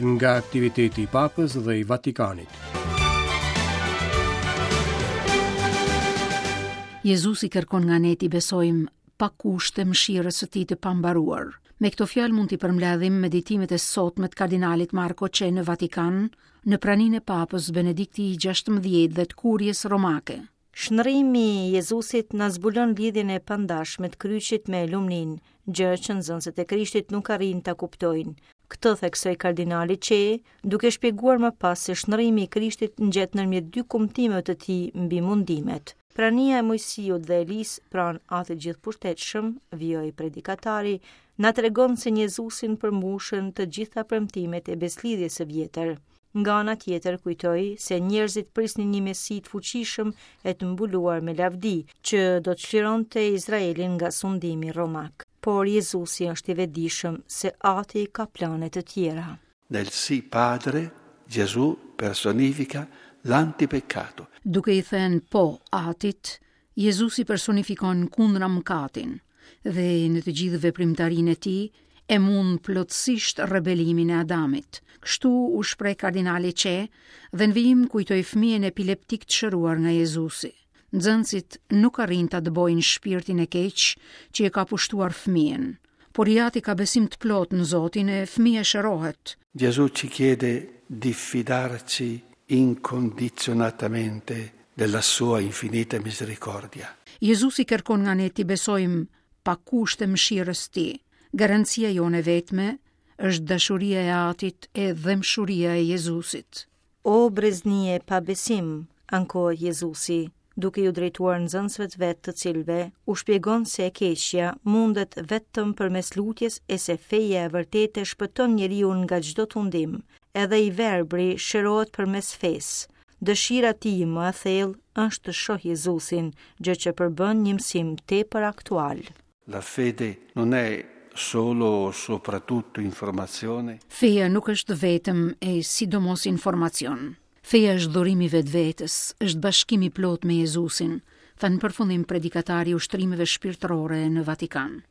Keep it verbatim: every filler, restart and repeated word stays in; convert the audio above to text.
Nga aktiviteti i Papës dhe i Vatikanit. Jezusi kërkon nga ne t'i besojmë pa kushte mëshirës së tij të pambaruar. Me këto fjalë mund t'i përmbledhim meditimet e sotme të kardinalit Marko Çe në Vatikan, në praninë e Papës Benedikti i gjashtëmbëdhjetë dhe të Kurjes Romake. Shndërrimi i Jezusit na zbulon lidhjen e pandashme të kryqit me lumninë, gjë që nxënësit e Krishtit nuk arrijnë ta kuptojnë. Këtë theksoi kardinali Çe, duke shpjeguar më pas se shndërrimi i Krishtit ngjet ndërmjet dy kumtimeve të tij mbi mundimet. Prania e Moisiut dhe Elisë pranë Atit Gjithëpushtetshëm, vijoi predikatari, na tregon se në Jezusin përmbushen të gjitha premtimet e beslidhjes së vjetër. Nga ana tjetër kujtoi se njerëzit prisnin një mesi të fuqishëm e të mbuluar me lavdi, që do të çlironte Izraelin nga sundimi romak. Por Jezusi është i vetëdijshëm se Ati ka plane të tjera. Nel sì Padre, Gesù personifica l'antipeccato. Duke i thënë po Atit, Jezusi personifikon kundra mëkatin dhe në të gjithë veprimtarinë e tij e mund plotësisht rebelimin e Adamit. Kështu u shpreh kardinali Çe dhe në vijim kujtoi fëmijën epileptik të shëruar nga Jezusi. Nxënësit nuk arrijnë ta dëbojnë shpirtin e keq që e ka pushtuar fëmijën, por i ati ka besim të plotë në Zotin e fëmija shërohet. Gesù ci chiede di fidarci incondizionatamente della sua infinita misericordia. Jezusi kërkon nga ne t'i besojmë pa kushte mëshirës tij. Garancia jonë e vetme është dashuria e Atit e dhembshuria e Jezusit. O brezni e pa besim, ankohet Jezusi, duke ju drejtuar nxënësve të vet të cilëve u shpjegon se e keqja mundet vetëm përmes lutjes e se feja e vërtetë e shpëton njeriu nga çdo tundim. Edhe i verbri shërohet përmes fesë. Dëshira e tij më e thellë është të shohë Jezusin, gjë që përbën një mësim tepër aktual. La fede non è solo o soprattutto informazione. Feja nuk është vetëm e sidomos informacion. Feja është dhurimi i vetvetes, është bashkimi i plot me Jezusin, tha në përfundim predikatari i ushtrimeve shpirtërore në Vatikan.